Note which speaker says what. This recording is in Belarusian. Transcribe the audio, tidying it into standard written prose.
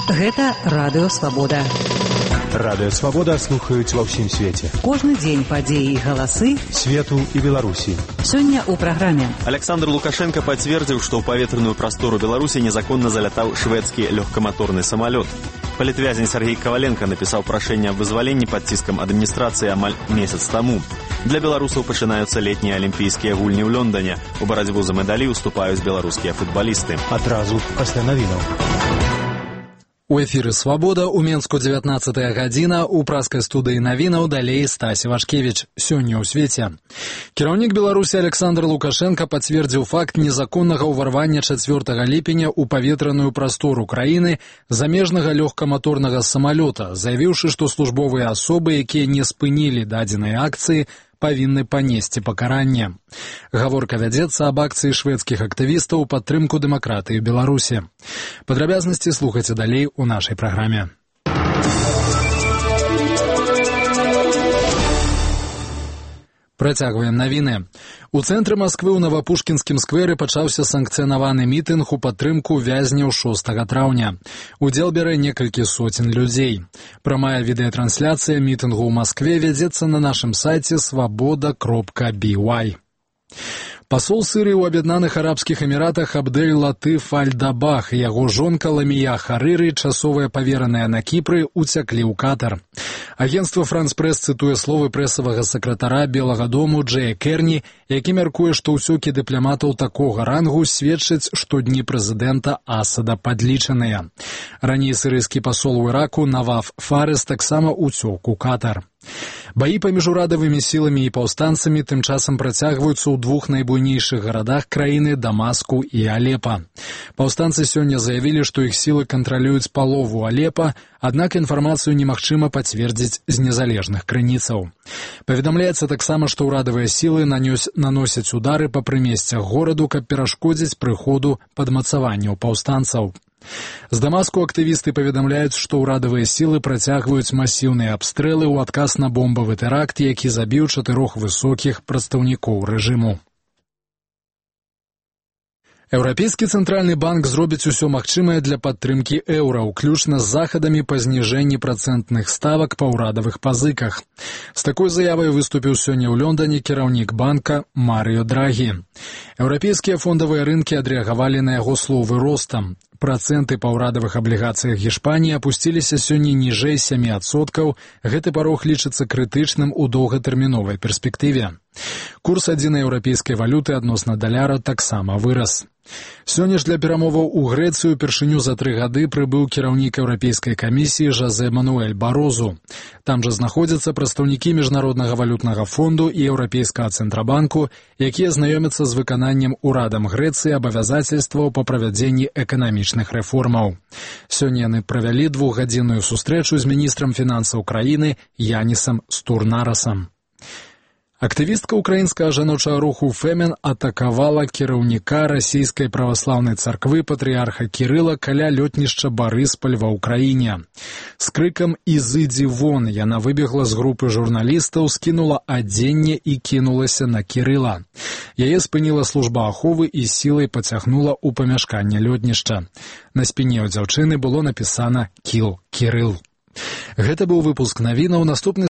Speaker 1: Гэта Радыё Свабода.
Speaker 2: Радыё Свабода слухаюць ва ўсім свеце.
Speaker 1: Кожны дзень падзеі і галасы
Speaker 2: свету і Беларусі.
Speaker 1: Сёння ў праграме.
Speaker 3: Александр Лукашенко пацвердзіў, што ў паветраную прастору Беларусі незаконна залятаў шведскі лёгкаматорны самалёт. Палітвязень Сергей Коваленко напісаў прашэнне аб вызваленні пад ціскам адміністрацыі амаль месяц таму. Для беларусаў пачынаюцца летнія алімпійскія гульні ў Лондоне. У барацьбу за медалі ўступаюць беларускія футбалісты.
Speaker 2: Адразу пасля навінаў.
Speaker 4: У эфіры «Свабода» у Менску 19-я гадзіна, у праскай студыі навінаў далей Стась Вашкевіч. Сёння ў свеце. Кіраўнік Беларусі Александр Лукашенко пацвердзіў факт незаконнага ўварвання 4 ліпеня ў паветраную прастору краіны замежнага лёгкаматорнага самалёта, заявіўшы, што службовыя асобы, якія не спынілі дадзенай акцыі, павінны панесці пакаранне. Гаворка вядзецца аб акцыі шведскіх актывістаў у падтрымку дэмакратыі Беларусі. Падрабязнасці слухайце далей у нашай праграме. Працягваем навіны. У цэнтры Масквы ў Навапушкінскім скверы пачаўся санкцыянаваны мітынг у падтрымку вязняў 6 траўня. Удзел бярэ некалькі соцень людзей. Прамая відэатрансляцыя мітынгу ў Маскве вядзецца на нашым сайце svoboda.by. Пасол Сырыі ў Аб'яднаных Арабскіх Эміратах Абдэль Латыф Аль-Дабах і яго жонка Ламія Харыры, часовыя павераныя на Кіпры, уцяклі ў Катар. Агенцтва «Франс-Прэс» цытуе словы прэсавага сакратара Белага дому Джэя Керні, які мяркуе, што ўсёкі дыпламатаў такога рангу сведчаць, што дні прэзідэнта Асада падлічаныя. Раней сырыйскі пасол у Іраку Наваф Фарес таксама уцёк у Катар. Баі паміж урадавымі сіламі і паўстанцамі тым часам працягваюцца ў двух найбуйнейшых гарадах краіны Дамаску і Алепа. Паўстанцы сёння заявілі, што іх сілы кантралююць палову Алепа, аднак інфармацыю немагчыма пацвердзіць з незалежных крыніцаў. Паведамляецца таксама, што ўрадавыя сілы наносяць удары па прымесцях гораду, каб перашкодзіць прыходу падмацаванняў паўстанцаў. З Дамаску актывісты паведамляюць, што ўрадавыя сілы працягваюць масіўныя абстрэлы ў адказ на бомбавы тэракт, які забіў 4 высокіх прадстаўнікоў рэжыму. Еўрапейскі цэнтральны банк зробіць усё магчымае для падтрымкі еўра, уключна з захадамі па зніжэнні працэнтных ставак па ўрадавых пазыках. З такой заявай выступіў сёння ў Лондоне кіраўнік банка Марыё Драгі. Еўрапейскія фондавыя рынкі адрэагавалі на яго словы ростам. Працэнты па ўрадавых аблігацыях Гішпаніі апусціліся сёння ніжэй 7%. Гэты парог лічыцца крытычным у доўгатэрміновай перспектыве. Курс адзінай еўрапейскай валюты адносна даляра таксама вырас. Сёння ж для перамоваў у Грэцыю упершыню за 3 гады прыбыў кіраўнік Еўрапейскай камісіі Жозе Мануэль Барозу. Там жа знаходзяцца прадстаўнікі Міжнароднага валютнага фонду і Еўрапейскага цэнтрабанку, якія знаёмяцца з выкананнем урадам Грэцыі абавязацельстваў па правядзенні эканамічных рэформаў. Сёння яны правялі 2-гадзінную сустрэчу з міністрам фінансаў краіны Янісам Стурнарасам. Актывістка украінскага жаночага руху «Фемен» атакавала кіраўніка расійскай праваслаўнай царквы патрыярха Кірыла каля лётнішча Барыспаль ва ўкраіне. З крыкам «Ізыдзі вон» яна выбегла з групы журналістаў, скінула адзенне і кінулася на Кірыла. Яе спыніла служба аховы і сілай пацягнула ў памяшканне лётнішча. На спіне ў дзяўчыны было напісана «Кіл Кірыл». Гэта быў выпуск навінаў. Наступны